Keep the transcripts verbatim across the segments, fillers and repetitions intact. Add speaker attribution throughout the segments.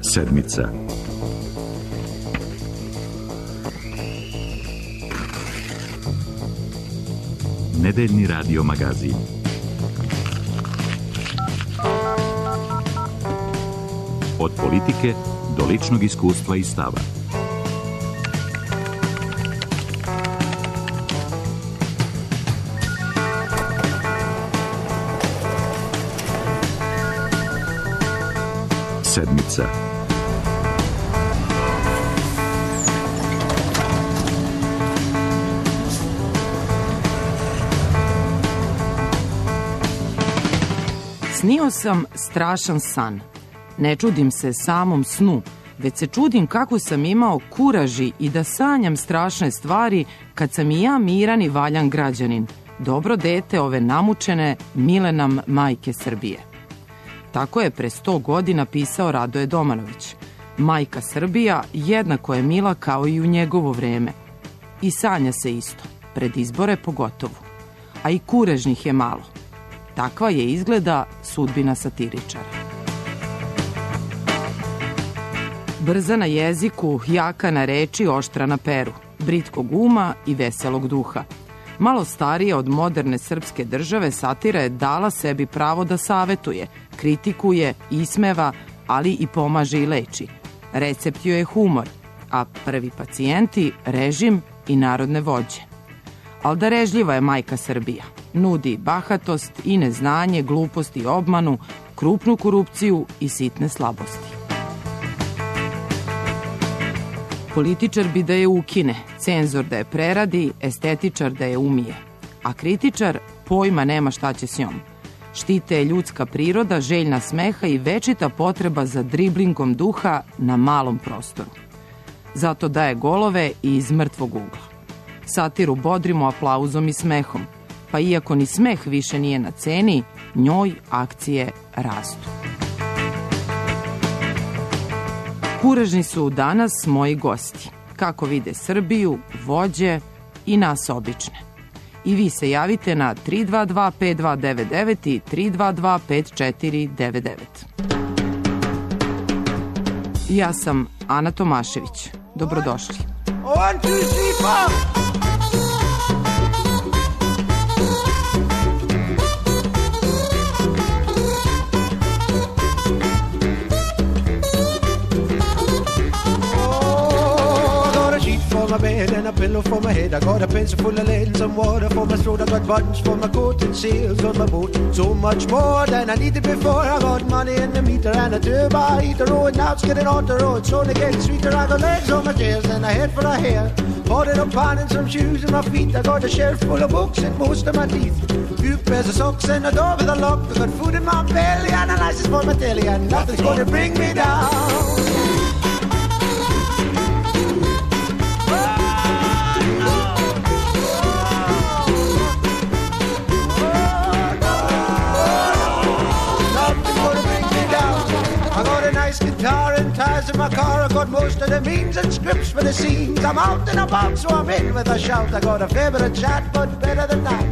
Speaker 1: Sedmica. Nedeljni radio magazin. Od politike do ličnog iskustva i stava. Sedmica.
Speaker 2: Snio sam strašan san. Ne čudim se samom snu, već se čudim kako sam imao kuraži i da sanjam strašne stvari kad sam i ja miran i valjan građanin, dobro dete ove namučene, mile nam majke Srbije. Tako je pre sto godina pisao Radoje Domanović. Majka Srbija jednako je mila kao i u njegovo vreme. I sanja se isto, pred izbore pogotovo. A i kurežnih je malo. Takva je izgleda sudbina satiričara. Brza na jeziku, jaka na reči, oštra na peru, britkog uma i veselog duha. Malo starija od moderne srpske države, satira je dala sebi pravo da savetuje, kritikuje, ismeva, ali i pomaže i leči. Recept joj je humor, a prvi pacijenti režim i narodne vođe. Al darežljiva je majka Srbija. Nudi bahatost i neznanje, glupost i obmanu, krupnu korupciju i sitne slabosti. Političar bi da je ukine, cenzor da je preradi, estetičar da je umije. A kritičar pojma nema šta će s njom. Štite je ljudska priroda, željna smeha i večita potreba za driblingom duha na malom prostoru. Zato daje golove i iz mrtvog ugla. Satiru bodrimo aplauzom i smehom, pa iako ni smeh više nije na ceni, njoj akcije rastu. Kurežni su danas moji gosti, kako vide Srbiju, vođe i nas obične. I vi se javite na tri dva dva pet dva devet devet i tri dva dva pet četiri devet devet. Ja sam Ana Tomašević. Dobrodošli. One, two, three, four. My bed and a pillow for my head. I got a pencil full of lead and some water for my throat. I got buttons for my coat and sails on my boat. So much more than I needed before. I got money in the meter and a turbo heater. Oh, and now it's getting on the road, so they get sweeter. I got legs on my chairs and a head for a hair. Bought it up on and some shoes on my feet. I got a shelf full of books and most of my teeth. Few pairs of socks and a door with a lock. I got food in my belly and a license for my telly. And nothing's gonna bring me down. Guitar and ties in my car. I got most of the means and scripts for the scenes. I'm out and about, so I'm in with a shout. I got a favourite chat, but better than that.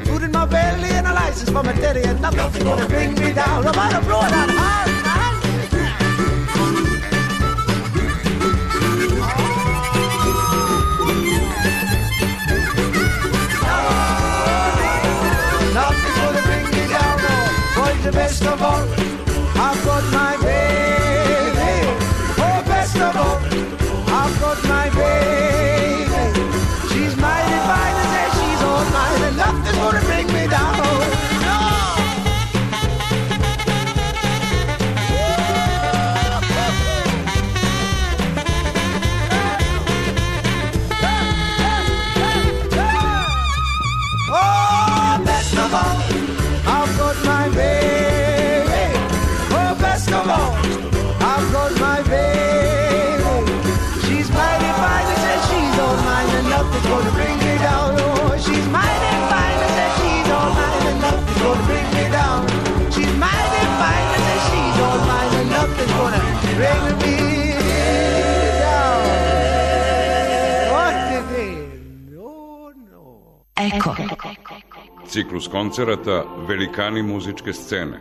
Speaker 2: Food in my belly and a license for my teddy, and nothing's gonna bring me down. I'm out of blow that hard, man. Nothing's gonna bring me down. Oh, boys, the best of all, I've got my baby. Oh, best of all, I've got my baby. She's mighty fine and says she's all mine, and nothing's gonna bring me down. No. Oh, best of all, I've got my baby. Oh, best of all, I've got my baby. She's mighty fine and says she's all mine, and nothing's gonna bring me down. Oh, she's mighty fine and says she's all mine, and nothing's gonna bring me down. She's mighty fine and says she's all mine, and nothing's gonna bring me down. What did they? No, no.
Speaker 3: Eko. Ciklus koncerata Velikani muzičke scene.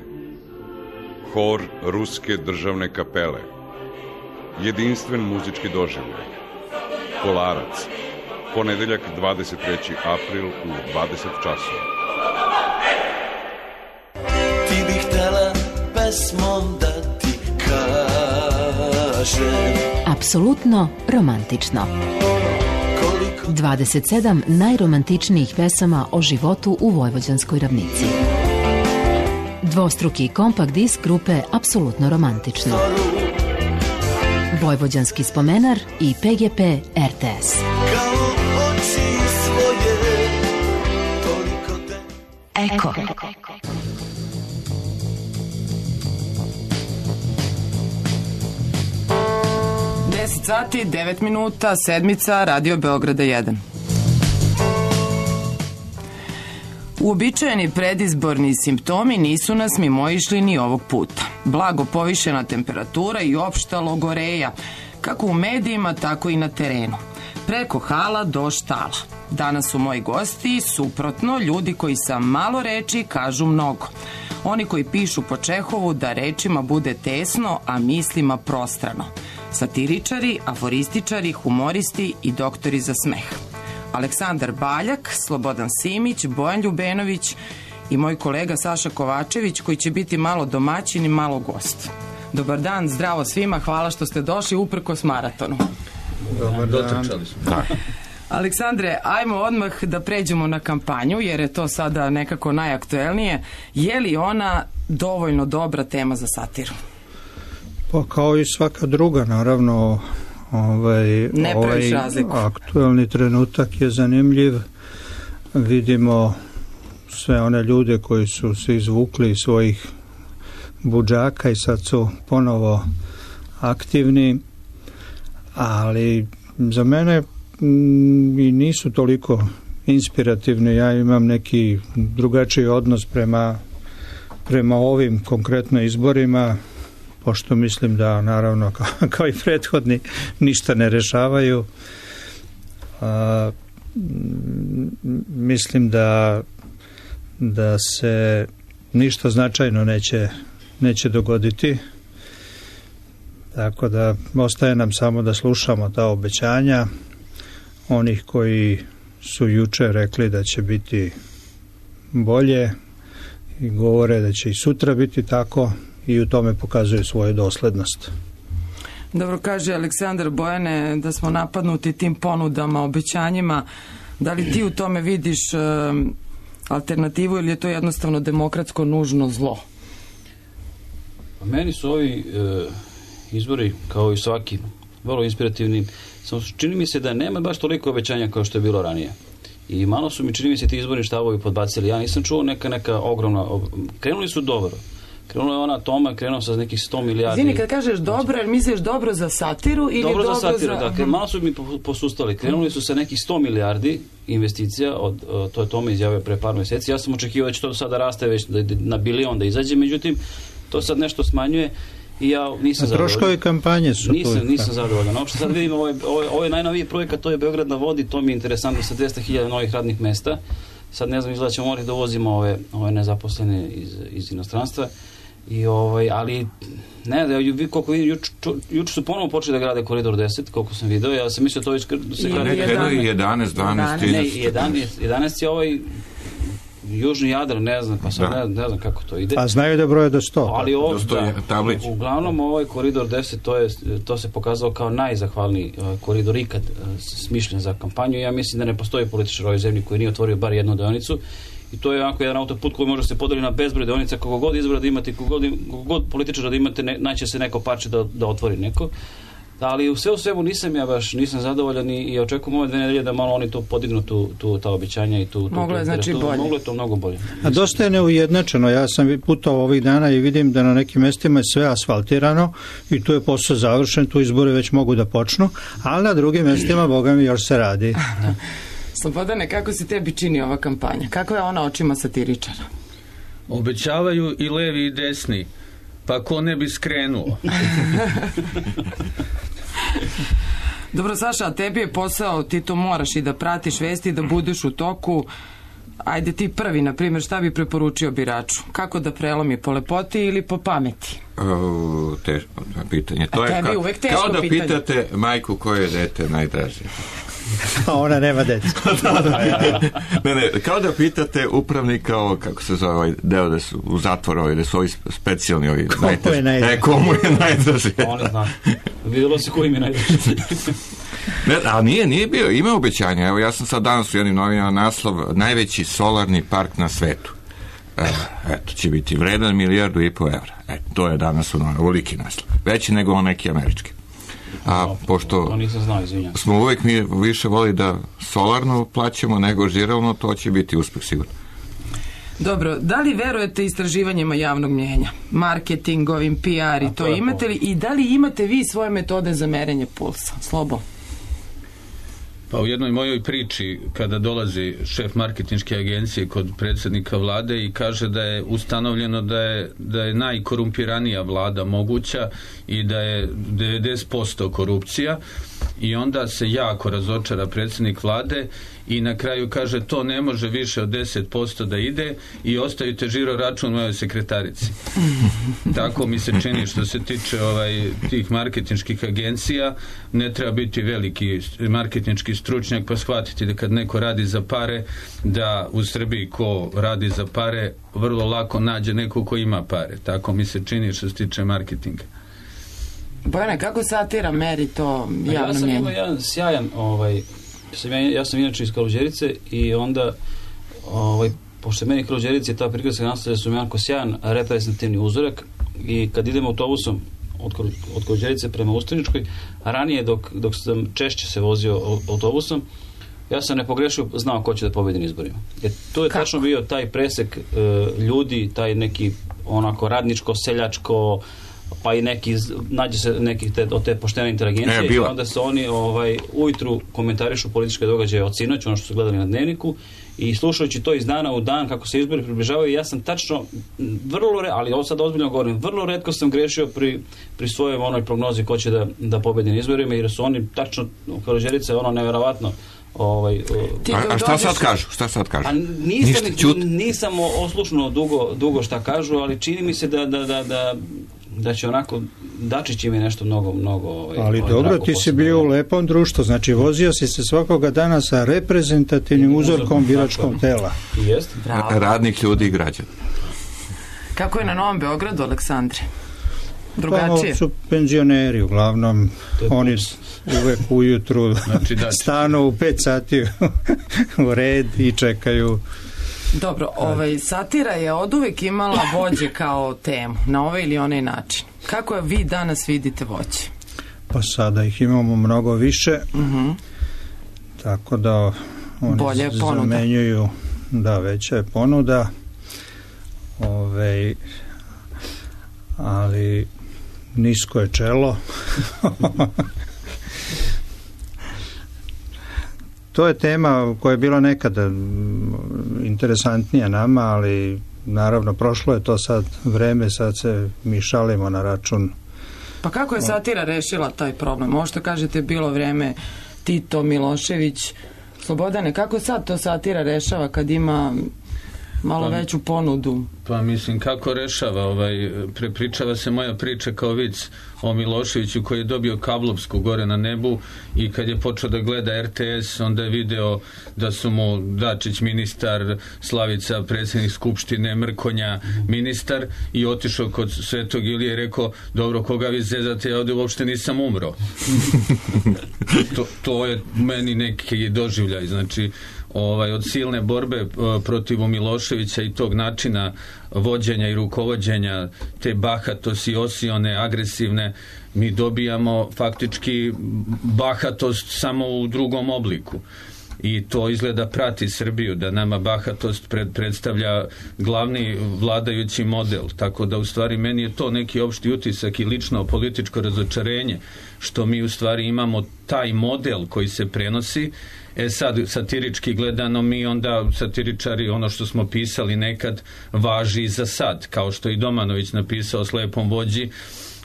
Speaker 3: Hor Ruske državne kapele. Jedinstven muzički doživljaj. Kolarac. Ponedeljak dvadeset treći april u dvadeset časova.
Speaker 4: Ti bih htela pesmom da ti kažem.
Speaker 5: Apsolutno romantično. dvadeset sedam najromantičnijih pesama o životu u Vojvođanskoj ravnici. Dvostruki kompakt disk grupe Apsolutno romantično. Vojvođanski spomenar i P G P R T S. Eko.
Speaker 2: deset sati, devet minuta, sedmica, Radio Beograda jedan. Uobičajeni predizborni simptomi nisu nas mimoišli ni ovog puta. Blago povišena temperatura i opšta logoreja, kako u medijima, tako i na terenu. Preko hala do štala. Danas su moji gosti, suprotno, ljudi koji sa malo reči kažu mnogo. Oni koji pišu po Čehovu da rečima bude tesno, a mislima prostrano. Satiričari, aforističari, humoristi i doktori za smeh. Aleksandar Baljak, Slobodan Simić, Bojan Ljubenović i moj kolega Saša Kovačević, koji će biti malo domaćin i malo gost. Dobar dan, zdravo svima, hvala što ste došli uprkos maratonu.
Speaker 6: Dobar dan.
Speaker 2: Aleksandre, ajmo odmah da pređemo na kampanju, jer je to sada nekako najaktuelnije. Je li ona dovoljno dobra tema za satiru?
Speaker 6: Pa kao i svaka druga, naravno, ovaj, ovaj aktuelni trenutak je zanimljiv. Vidimo sve one ljude koji su se izvukli iz svojih budžaka i sad su ponovo aktivni, ali za mene m, i nisu toliko inspirativni. Ja imam neki drugačiji odnos prema, prema ovim konkretno izborima, pošto mislim da, naravno, kao, kao i prethodni, ništa ne rešavaju. A, mislim da da se ništa značajno neće, neće dogoditi. Tako da ostaje nam samo da slušamo ta obećanja onih koji su juče rekli da će biti bolje i govore da će i sutra biti tako i u tome pokazuju svoju doslednost.
Speaker 2: Dobro, kaže Aleksandar, Bojane, da smo napadnuti tim ponudama, obećanjima. Da li ti u tome vidiš uh, alternativu ili je to jednostavno demokratsko nužno zlo?
Speaker 7: A meni su ovi uh, izbori, kao i svaki, vrlo inspirativni. Samo čini mi se da nema baš toliko obećanja kao što je bilo ranije. I malo su mi, čini mi se, ti izborni štavovi podbacili. Ja nisam čuo neka, neka ogromna... Krenuli su dobro. Krenula je ona Toma, krenuo sa nekih sto milijardi.
Speaker 2: Zini, kad kažeš dobro, jer misliš dobro za satiru ili dobro, dobro za...
Speaker 7: Dobro za satiru, da. Malo su mi posustali. Krenuli su sa nekih sto milijardi investicija, od, to je Toma izjavio pre par meseci. Ja sam očekivao da će to sada raste već na bilion da izađe, međutim, to sad nešto smanjuje i ja nisam zadovoljan.
Speaker 6: Troškovi kampanje su
Speaker 7: nisam,
Speaker 6: tu.
Speaker 7: Nisam zadovoljan. Uopšte sad vidimo, ovaj, ovaj, ovaj najnoviji projekat, to je Beograd na vodi, to mi je interesantno sa dvesta hiljada novih radnih mesta. Sad ne znam, izgleda ćemo morati da uvozimo ove, ove nezaposlene iz, iz inostranstva. I ovaj, ali ne, da vi koliko vidim, juč, juč su ponovo počeli da grade koridor deset, koliko sam video, ja sam mislio to već da se grade
Speaker 3: jedanaest, dvanaest,
Speaker 7: ne, jedanaest, jedanaest je ovaj Južni Jadran, ne znam, pa sad ne, ne znam kako to ide.
Speaker 6: A znaju da broje do sto.
Speaker 7: Ali ovo, da, uglavnom ovaj koridor deset, to, je, to se pokazalo kao najzahvalniji uh, koridor ikad uh, smišljen za kampanju. Ja mislim da ne postoji političar u ovoj zemlji koji nije otvorio bar jednu deonicu. I to je onako jedan autoput koji može se podeli na bezbroj deonica, kako god izbora da imate, kako god, kako god političara da imate, ne, naće se neko parče da, da otvori neko. Ali u sve u svemu nisam ja baš, nisam zadovoljan i, i očekujem ove dve nedelje da malo oni to podignu tu, tu ta obećanja i tu... tu
Speaker 2: moglo je znači bolje.
Speaker 7: Moglo je to mnogo bolje.
Speaker 6: A dosta je neujednačeno. Ja sam putovao ovih dana i vidim da na nekim mestima je sve asfaltirano i tu je posao završen, tu izbori već mogu da počnu, ali na drugim mestima, boga mi, još se radi.
Speaker 2: Da. Slobodane, kako se tebi čini ova kampanja? Kako je ona očima satiričara?
Speaker 8: Obećavaju i levi i desni, pa ko ne bi skrenuo? Dobro,
Speaker 2: Saša, a tebi je posao, ti to moraš i da pratiš vesti, da budeš u toku. Ajde ti prvi, na primjer, šta bi preporučio biraču? Kako da prelomi, po lepoti ili po pameti?
Speaker 9: O, teško pitanje. To
Speaker 2: A
Speaker 9: je
Speaker 2: tebi
Speaker 9: ka,
Speaker 2: uvek teško
Speaker 9: kao da
Speaker 2: pitanje.
Speaker 9: pitate majku koje je dete najdraže.
Speaker 6: A ona nema dece.
Speaker 9: ne, ne, kao da pitate upravnika ovo, kako se zove ovaj deo da su u zatvoru, ovaj, da su ovi specijalni ovi
Speaker 6: komu najdraži. Je najdraži?
Speaker 9: E, komu je najdraži?
Speaker 7: Oni zna. Vidjelo se koji mi je najdraži.
Speaker 9: Ne, a nije, nije bio, ima obećanja. Evo, ja sam sad danas u jednim novinama naslov najveći solarni park na svetu. E, eto, će biti vredan milijardu i po evra. E, to je danas u veliki naslov. Veći nego on neki američki. A no, pošto
Speaker 7: to nisam znao, izvinjam.
Speaker 9: Smo uvek mi više voli da solarno plaćamo nego žiralno, to će biti uspeh sigurno.
Speaker 2: Dobro, da li verujete istraživanjima javnog mnjenja? Marketingovim, P R i to, to imate li? I da li imate vi svoje metode za merenje pulsa? Slobo?
Speaker 8: Pa u jednoj mojoj priči, kada dolazi šef marketinške agencije kod predsjednika vlade i kaže da je ustanovljeno da je, da je najkorumpiranija vlada moguća i da je devedeset posto korupcija, i onda se jako razočara predsjednik vlade i na kraju kaže to ne može više od deset posto da ide i ostavite žiro račun mojoj sekretarici. Tako mi se čini što se tiče ovaj, tih marketinških agencija. Ne treba biti veliki marketinški stručnjak pa shvatiti da kad neko radi za pare, da u Srbiji ko radi za pare vrlo lako nađe neko ko ima pare. Tako mi se čini što se tiče marketinga.
Speaker 2: Bojane, kako satira meri to javno mnjenje?
Speaker 7: Ja sam imao jedan sjajan, ovaj, sam ja, ja sam inače iz Kaluđerice i onda, ovaj, pošto meni Kaluđerice je ta prigradska naselja su jako sjajan reprezentativni uzorak i kad idemo autobusom od, od Kaluđerice prema Ustaničkoj, a ranije dok, dok sam češće se vozio autobusom, ja sam ne pogrešio, znao ko će da pobedi na izborima. Jer to je Kako? tačno bio taj presek uh, ljudi, taj neki onako radničko, seljačko, pa i neki, nađe se neki te, od te poštene inteligencije e, i onda se oni ovaj, ujutru komentarišu političke događaje od sinoć, ono što su gledali na Dnevniku, i slušajući to iz dana u dan kako se izbori približavaju, ja sam tačno vrlo, re, ali ovo sad ozbiljno govorim, vrlo retko sam grešio pri, pri svojoj onoj prognozi ko će da, da pobedi na izborima, jer su oni tačno, Kaluđerica je ono neverovatno. Ovaj,
Speaker 9: a, a šta sad kažu? Šta sad kažu?
Speaker 7: A nisam, nisam oslušno dugo, dugo šta kažu, ali čini mi se da, da, da, da da će onako, Dačić im je nešto mnogo, mnogo ovaj,
Speaker 6: ali
Speaker 7: ovaj,
Speaker 6: dobro, ti si bio u lepom društvu, znači vozio si se svakoga dana sa reprezentativnim uzorkom biračkog tela.
Speaker 7: Jest?
Speaker 9: Radnih ljudi i građana.
Speaker 2: Kako je na Novom Beogradu, Aleksandre? Drugačije?
Speaker 6: Pa, su penzioneri uglavnom, oni uvek ujutru znači, stanu u pet sati u red i čekaju.
Speaker 2: Dobro, ovaj, satira je oduvek imala vođe kao temu, na ovaj ili onaj način. Kako vi danas vidite vođe?
Speaker 6: Pa sada ih imamo mnogo više, uh-huh. tako da oni Bolje zamenjuju, da, veća je ponuda, Ove, ali nisko je čelo. To je tema koja je bila nekada interesantnija nama, ali naravno prošlo je to sad vreme, sad se mi šalimo na račun.
Speaker 2: Pa kako je satira rešila taj problem? Ovo što kažete bilo vreme Tito, Milošević, Slobodane, kako sad to satira rešava kad ima malo pa, veću ponudu?
Speaker 8: Pa mislim, kako rešava? Ovaj, prepričava se moja priča kao vic o Miloševiću koji je dobio kablovsku gore na nebu i kad je počeo da gleda R T S, onda je video da su mu Dačić ministar, Slavica predsjednik Skupštine, Mrkonja ministar, i otišao kod Svetog Ilije i rekao, dobro, koga vi zezate, ja ovdje uopšte nisam umro. to, to je meni neki doživljaj, znači ovaj, od silne borbe protiv Miloševića i tog načina vođenja i rukovođenja, te bahatosti, osione, agresivne, mi dobijamo faktički bahatost samo u drugom obliku. I to izgleda prati Srbiju, da nama bahatost pred, predstavlja glavni vladajući model. Tako da u stvari meni je to neki opšti utisak i lično političko razočarenje, što mi u stvari imamo taj model koji se prenosi. E sad, satirički gledano, mi onda, satiričari, ono što smo pisali nekad, važi za sad, kao što i Domanović napisao o slepom vođi,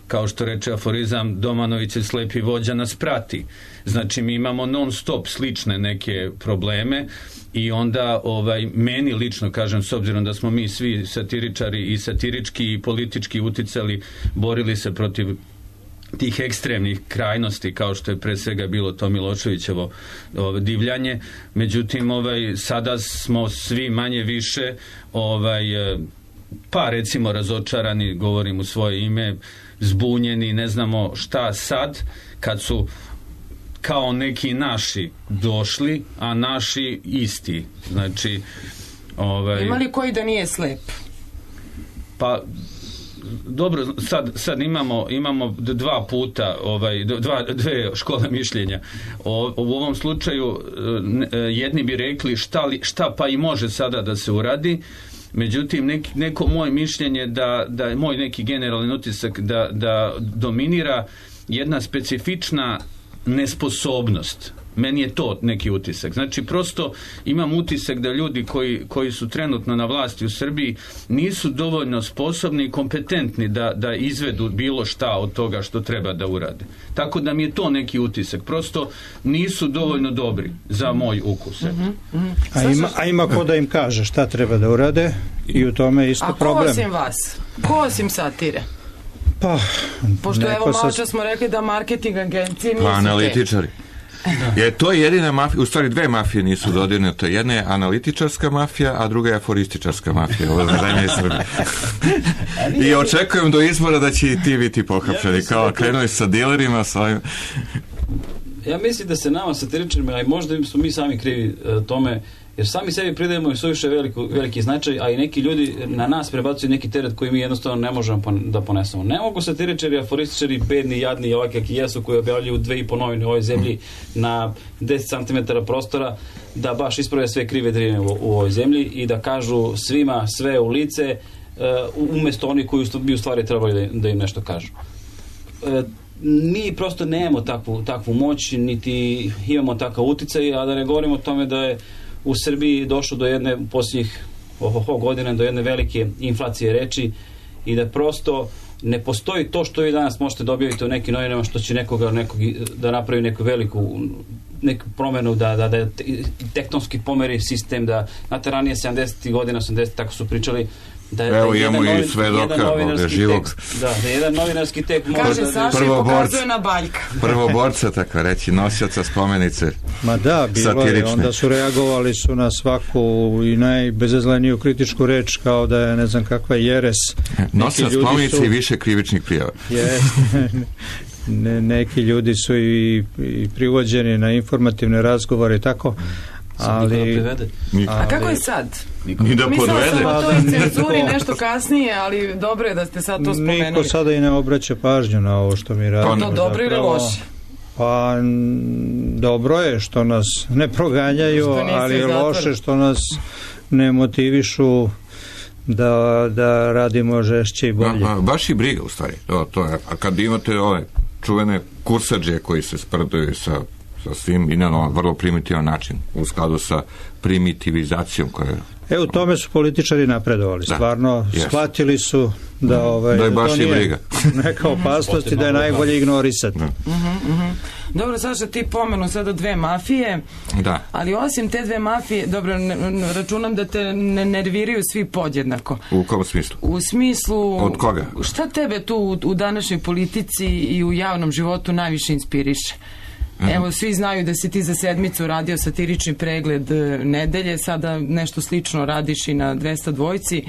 Speaker 8: kao što reče aforizam, Domanović je slepi vođa nas prati. Znači mi imamo non stop slične neke probleme i onda ovaj, meni lično kažem, s obzirom da smo mi svi satiričari i satirički i politički uticali, borili se protiv tih ekstremnih krajnosti kao što je pre svega bilo to Miloševićevo ovaj, divljanje. Međutim, ovaj, sada smo svi manje više ovaj, pa recimo razočarani, govorim u svoje ime, zbunjeni, ne znamo šta sad kad su kao neki naši došli, a naši isti. Znači, ovaj...
Speaker 2: Ima li koji da nije slep?
Speaker 8: Pa dobro, sad, sad imamo, imamo dva puta, ovaj, dva, dve škole mišljenja. O, u ovom slučaju jedni bi rekli šta, li, šta pa i može sada da se uradi, međutim neki, neko moje mišljenje da, da je moj neki generalni utisak da, da dominira jedna specifična nesposobnost. Meni je to neki utisak. Znači, prosto imam utisak da ljudi koji, koji su trenutno na vlasti u Srbiji nisu dovoljno sposobni i kompetentni da, da izvedu bilo šta od toga što treba da urade. Tako da mi je to neki utisak. Prosto nisu dovoljno dobri za moj ukus.
Speaker 6: Mm-hmm. Mm-hmm. A, ima, a ima ko da im kaže šta treba da urade i u tome je isto a problem.
Speaker 2: A ko osim vas? Ko osim satire?
Speaker 6: Pa,
Speaker 2: pošto evo malo čas smo rekli da marketing agencije nisu
Speaker 9: pa, analitičari.
Speaker 2: Da.
Speaker 9: Je to jedina mafija, u stvari dve mafije nisu dodirnute. Jedna je analitičarska mafija, a druga je aforističarska mafija. Ovo je zemlje Srbije. I očekujem do izbora da će i ti biti pohapšeni. Kao krenuli sa dilerima, sa ovim...
Speaker 7: Ja mislim da se nama satiričarima, a i možda smo mi sami krivi uh, tome, jer sami sebi pridajemo i suviše veliku, veliki značaj, a i neki ljudi na nas prebacuju neki teret koji mi jednostavno ne možemo pon- da ponesemo. Ne mogu satiričari, aforističari, bedni, jadni i ovakvi kakvi jesu, koji objavljuju dve i po novine u ovoj zemlji na deset centimetara prostora, da baš isprave sve krive drine u, u ovoj zemlji i da kažu svima sve u lice, uh, umjesto oni koji bi u stvari trebali da, da im nešto kažu. Uh, mi prosto nemamo takvu, takvu moć, niti imamo takav uticaj, a da ne govorimo o tome da je u Srbiji došlo do jedne u posljednjih ohoho godina do jedne velike inflacije reči i da prosto ne postoji to što vi danas možete dobiti u nekim novinama što će nekoga nekog, da napravi neku veliku neku promenu, da, da, da tektonski pomeri sistem, da znate ranije sedamdesetih godina, osamdesetih tako su pričali da je,
Speaker 9: evo
Speaker 7: da
Speaker 9: imamo
Speaker 7: novin,
Speaker 9: i svedoka ovdje živog
Speaker 7: tekst, da, da je jedan novinarski tekst
Speaker 2: kaže da, Saša i pokazuje na baljka
Speaker 9: prvoborca, tako reći, nosioca spomenice
Speaker 6: ma da, bilo je, onda su reagovali su na svaku i najbezazleniju kritičku reč kao da je ne znam kakva jeres.
Speaker 9: Nosioca spomenice su... i više krivičnih prijava.
Speaker 6: Je, ne, neki ljudi su i, i privođeni na informativne razgovore i tako. Ali,
Speaker 2: a kako je sad?
Speaker 9: Ni da podvede.
Speaker 2: Mislila sam o toj cenzuri nešto kasnije, ali dobro je da ste sad to spomenuli.
Speaker 6: Niko sada i ne obraća pažnju na ovo što mi radimo.
Speaker 2: To dobro ili loše?
Speaker 6: Pa dobro je što nas ne proganjaju, ali je loše što nas ne motivišu da, da radimo žešće i bolje.
Speaker 9: A, a, baš i briga u stvari. To, to je. A kad imate ove čuvene kursadže koji se sprdaju sa sa svim i na vrlo primitivan način u skladu sa primitivizacijom koja je...
Speaker 6: E, u tome su političari napredovali. Da. Stvarno, yes. Shvatili su da, ovaj,
Speaker 9: da je baš
Speaker 6: to nije
Speaker 9: i briga.
Speaker 6: Neka opasnost i da je najbolje ignorisati.
Speaker 2: Uh-huh, uh-huh. Dobro, Saša, ti pomenu sada dve mafije,
Speaker 9: da.
Speaker 2: Ali osim te dve mafije, dobro, ne, računam da te ne nerviraju svi podjednako.
Speaker 9: U kom smislu?
Speaker 2: U smislu...
Speaker 9: Od koga?
Speaker 2: Šta tebe tu u, u današnjoj politici i u javnom životu najviše inspiriše? Evo, svi znaju da si ti za sedmicu radio satirični pregled nedelje, sada nešto slično radiš i na dvesta dvojci.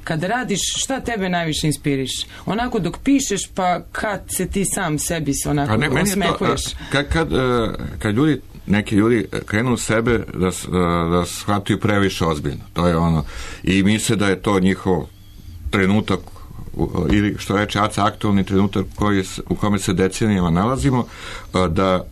Speaker 2: Kada radiš, šta tebe najviše inspiriše? Onako dok pišeš, pa kad se ti sam sebi se onako ne, osmehuješ?
Speaker 9: To, kad, kad, kad ljudi, neki ljudi krenu sebe da, da shvataju previše ozbiljno, to je ono, i misle da je to njihov trenutak ili što reče Aca, aktualni trenutak koji, u kome se decenijama nalazimo, da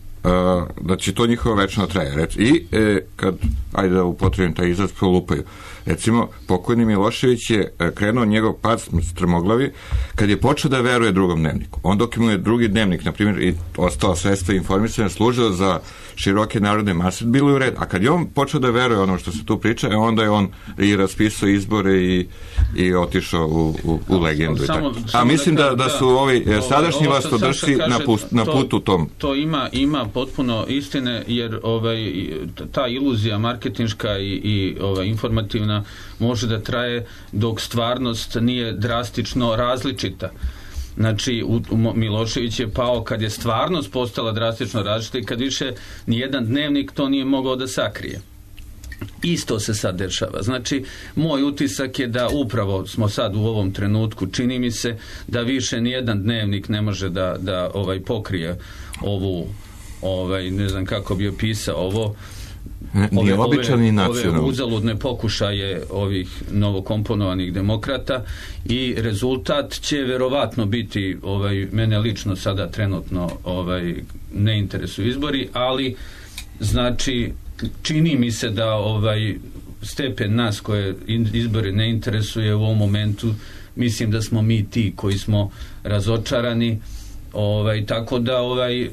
Speaker 9: da će to njihovo večno traje. I e, kad, ajde da upotrebim taj izraz, prolupaju. Recimo, pokojni Milošević je krenuo njegov pad strmoglavi kad je počeo da veruje drugom dnevniku. On dok mu je drugi dnevnik, na primjer, i ostala sredstva informisanja služila za široke narodne mase, bilo je u redu. A kad je on počeo da veruje ono što se tu priča, onda je on i raspisao izbore i, i otišao u, u, u legendu. Samo, i tako. A mislim da, da su ovi sadašnji vlastodršci na, put, na putu tom.
Speaker 8: To ima, ima potpuno istine, jer ovaj, ta iluzija marketinška i, i ovaj, informativna može da traje dok stvarnost nije drastično različita. Znači, u, u Milošević je pao kad je stvarnost postala drastično različita i kad više nijedan dnevnik to nije mogao da sakrije. Isto se sad dešava. Znači, moj utisak je da upravo smo sad u ovom trenutku, čini mi se da više nijedan dnevnik ne može da, da ovaj, pokrije ovu, ovaj, ne znam kako bi opisao ovo,
Speaker 9: Ove, ove,
Speaker 8: ove uzaludne pokušaje ovih novokomponovanih demokrata i rezultat će verovatno biti, ovaj, mene lično sada trenutno ovaj, ne interesuju izbori, ali znači čini mi se da ovaj stepen nas koje izbori ne interesuje u ovom momentu, mislim da smo mi ti koji smo razočarani, ovaj, tako da ovaj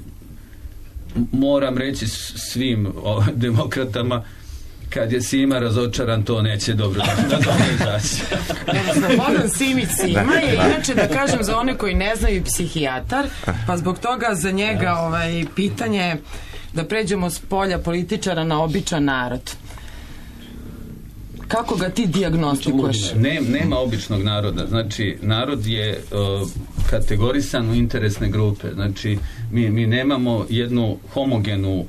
Speaker 8: moram reći svim o, demokratama, kad je Sima razočaran, to neće dobro da dobro izaći.
Speaker 2: Slobodan Simić Sima je, inače da kažem za one koji ne znaju, psihijatar, pa zbog toga za njega ovaj, pitanje da pređemo s polja političara na običan narod. Kako ga ti dijagnostikuješ?
Speaker 8: Ne, nema običnog naroda. Znači, narod je uh, kategorisan u interesne grupe. Znači, mi, mi nemamo jednu homogenu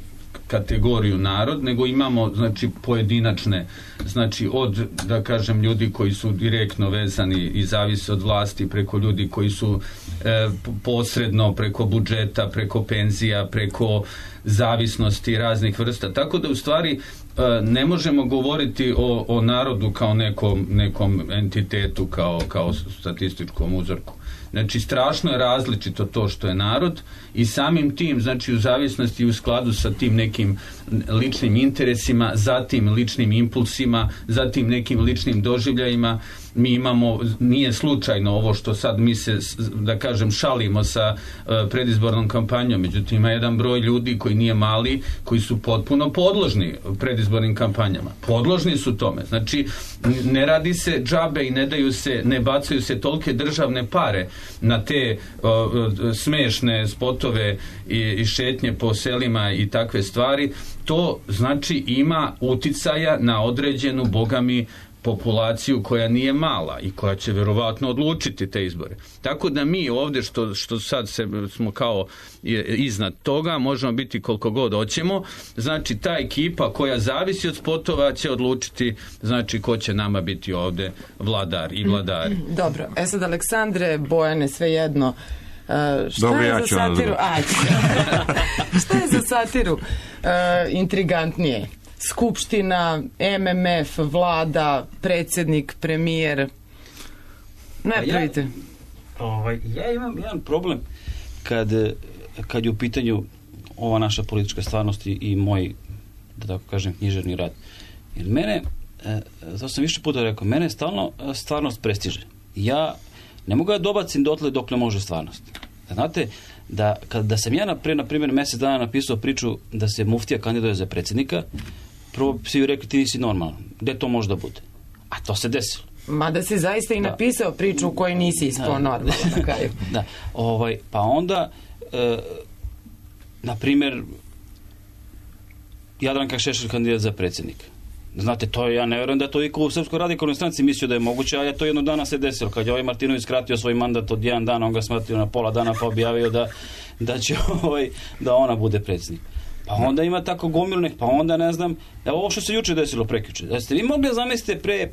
Speaker 8: kategoriju narod, nego imamo, znači, pojedinačne, znači, od, da kažem, ljudi koji su direktno vezani i zavise od vlasti, preko ljudi koji su e, posredno, preko budžeta, preko penzija, preko zavisnosti raznih vrsta. Tako da, u stvari, ne možemo govoriti o, o narodu kao nekom, nekom entitetu, kao, kao statističkom uzorku. Znači, strašno je različito to što je narod i samim tim, znači, u zavisnosti i u skladu sa tim nekim ličnim interesima, zatim ličnim impulsima, zatim nekim ličnim doživljajima, mi imamo, nije slučajno ovo što sad mi se, da kažem, šalimo sa uh, predizbornom kampanjom, međutim ima jedan broj ljudi koji nije mali, koji su potpuno podložni predizbornim kampanjama. Podložni su tome. Znači, ne radi se džabe i ne daju se, ne bacaju se tolike državne pare na te uh, smešne spotove i, i šetnje po selima i takve stvari. To znači ima uticaja na određenu, bogami, populaciju koja nije mala i koja će verovatno odlučiti te izbore. Tako da mi ovdje što, što sad se, smo kao iznad toga, možemo biti koliko god hoćemo, znači ta ekipa koja zavisi od spotova će odlučiti, znači ko će nama biti ovdje vladar i vladari.
Speaker 2: Dobro, e sad Aleksandre, Bojane, svejedno, uh, šta
Speaker 9: Dobro,
Speaker 2: je
Speaker 9: ja
Speaker 2: za satiru? Ajde. Šta je za satiru uh, intrigantnije? Skupština, M M F, vlada, predsjednik, premijer. Ne pravite.
Speaker 7: Ja, ovaj, ja imam jedan problem kad, kad je u pitanju ova naša politička stvarnost i, i moj, da tako kažem, književni rad. Jer mene, to sam više puta rekao, mene stalno stvarnost prestiže. Ja ne mogu da dobacim dotle dok ne može stvarnost. Znate, da, kad, da sam ja pre, na primjer, mjesec dana napisao priču da se muftija kandiduje za predsjednika, prvo svi ju rekli ti nisi normalan. Gde to može da bude? A to se desilo.
Speaker 2: Mada si zaista i da. napisao priču u kojoj nisi ispao normalan na kraju.
Speaker 7: Da. Ovaj, pa onda, e, na primjer, Jadranka Šešelj kandidat za predsjednika. Znate, to je, ja ne vjerujem da to iko u Srpskoj radikalnoj stranci mislio da je moguće, a je to jedno dana se desilo. Kad je ovaj Martinović skratio svoj mandat od jedan dana, on ga smatio na pola dana pa objavio da, da će ovaj, da ona bude predsjednik. Pa onda ima tako gomilnih, pa onda ne znam, evo ovo što se juče desilo prekjuče. Da ste vi mogli da zamislite pre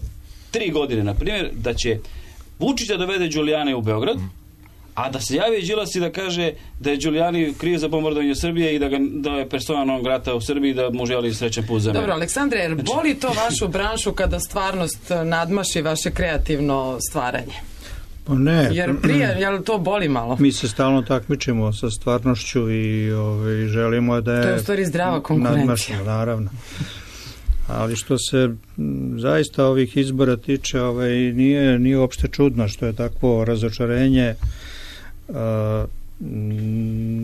Speaker 7: tri godine, na primjer, da će Vučić da dovede Đulijane u Beograd, a da se javi Đilas i da kaže da je Đulijani kriv za bombardovanje Srbije i da, ga, da je persona non grata u Srbiji, da mu želi srećan put za mene.
Speaker 2: Dobro, Aleksandre, jer boli to vašu branšu kada stvarnost nadmaši vaše kreativno stvaranje?
Speaker 6: Ne,
Speaker 2: jer prije, jel to boli malo?
Speaker 6: Mi se stalno takmičimo sa stvarnošću i ovaj, želimo da je...
Speaker 2: To je u stvari zdrava konkurencija.
Speaker 6: Nadmašno, naravno. Ali što se zaista ovih izbora tiče, ovaj, nije, nije uopšte čudno što je takvo razočarenje. Uh,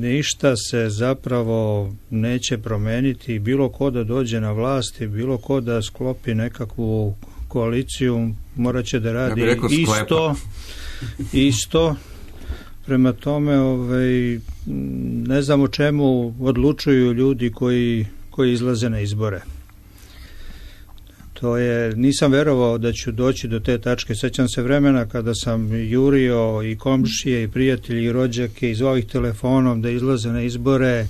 Speaker 6: ništa se zapravo neće promeniti. Bilo ko da dođe na vlast i bilo ko da sklopi nekakvu koaliciju, morat će da radi ja isto, isto. Prema tome, ovaj, ne znam o čemu odlučuju ljudi koji, koji izlaze na izbore. To je, nisam verovao da ću doći do te tačke. Sećam se vremena kada sam jurio i komšije i prijatelji i rođake i zvao ih telefonom da izlaze na izbore,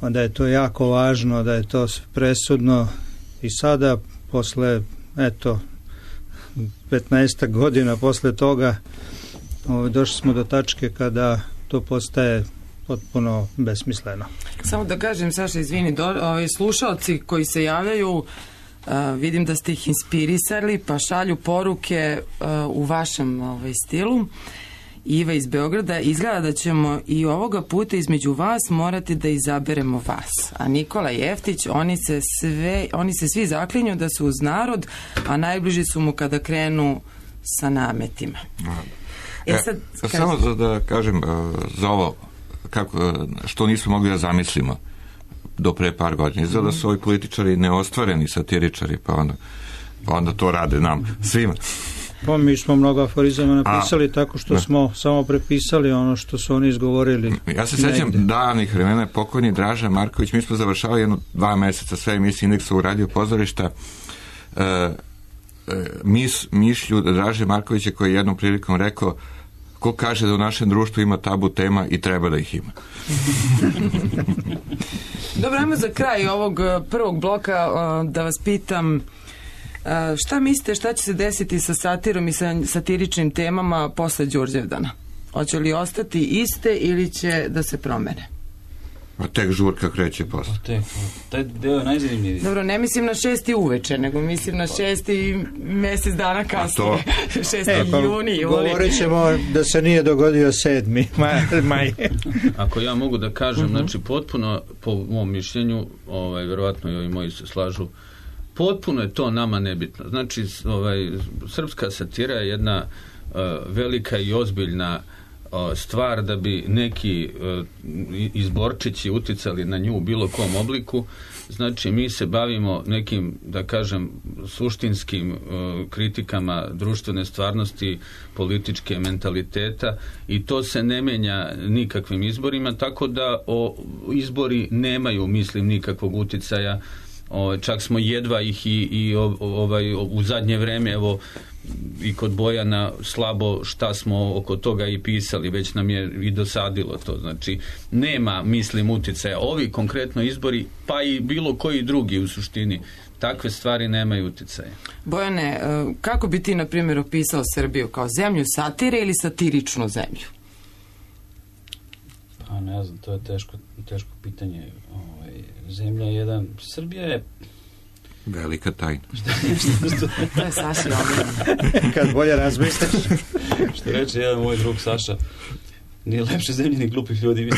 Speaker 6: onda je to jako važno, da je to presudno. I sada, posle, eto, petnaest godina posle toga, došli smo do tačke kada to postaje potpuno besmisleno.
Speaker 2: Samo da kažem, Saša, izvini, do, ovi slušalci koji se javljaju, Uh, vidim da ste ih inspirisali, pa šalju poruke uh, u vašem ovaj, stilu. Iva iz Beograda, izgleda da ćemo i ovoga puta između vas morati da izaberemo vas. A Nikola Jeftić, oni se, sve, oni se svi zaklinju da su uz narod, a najbliži su mu kada krenu sa nametima.
Speaker 9: E, e, sad, samo za da kažem uh, za ovo, kako, što nismo mogli da zamislimo do pre par godina. Izgleda da su ovi političari neostvareni satiričari, pa onda, pa onda to rade nam, svima.
Speaker 6: Pa mi smo mnogo aforizama napisali A, tako što ne. smo samo prepisali ono što su oni izgovorili.
Speaker 9: Ja se sećam davnih vremena, pokojni Draža Marković, mi smo završavali jedno dva meseca sve emisije Indeksa u radio pozorišta. E, e, mis, mišlju Draže Markovića koji je jednom prilikom rekao: ko kaže da u našem društvu ima tabu tema i treba da ih ima.
Speaker 2: Dobro, ajmo za kraj ovog prvog bloka da vas pitam šta mislite šta će se desiti sa satirom i sa satiričnim temama posle Đurđevdana? Hoće li ostati iste ili će da se promene?
Speaker 9: A tek žurka kreće posle.
Speaker 7: Tek, taj deo je najzanimljiviji.
Speaker 2: Dobro, ne mislim na šesti uveče, nego mislim na šesti mesec dana kasnije. šesti e, pa, juni.
Speaker 6: Govorit ćemo da se nije dogodio sedmi maj.
Speaker 8: Ako ja mogu da kažem, uh-huh. znači potpuno, po mom mišljenju, ovaj, verovatno i ovi moji se slažu, potpuno je to nama nebitno. Znači, ovaj, srpska satira je jedna uh, velika i ozbiljna stvar da bi neki uh, izborčići uticali na nju u bilo kom obliku. Znači mi se bavimo nekim, da kažem, suštinskim uh, kritikama društvene stvarnosti, političke mentaliteta i to se ne menja nikakvim izborima, tako da o, izbori nemaju, mislim, nikakvog uticaja. O, čak smo jedva ih i, i o, ovaj, u zadnje vreme, evo, i kod Bojana slabo šta smo oko toga i pisali, već nam je i dosadilo to. Znači, nema, mislim, uticaja. Ovi konkretno izbori, pa i bilo koji drugi u suštini, takve stvari nemaju uticaja.
Speaker 2: Bojane, kako bi ti, na primjer, opisao Srbiju? Kao zemlju satire ili satiričnu zemlju?
Speaker 7: Pa ne znam, to je teško, teško pitanje. Ovaj, zemlja je jedan... Srbija je...
Speaker 9: Velika tajna.
Speaker 2: To je Saša.
Speaker 6: Kad bolje razmisliš.
Speaker 7: Što reče jedan moj drug Saša, nije lepše zemlje ni glupih ljudi.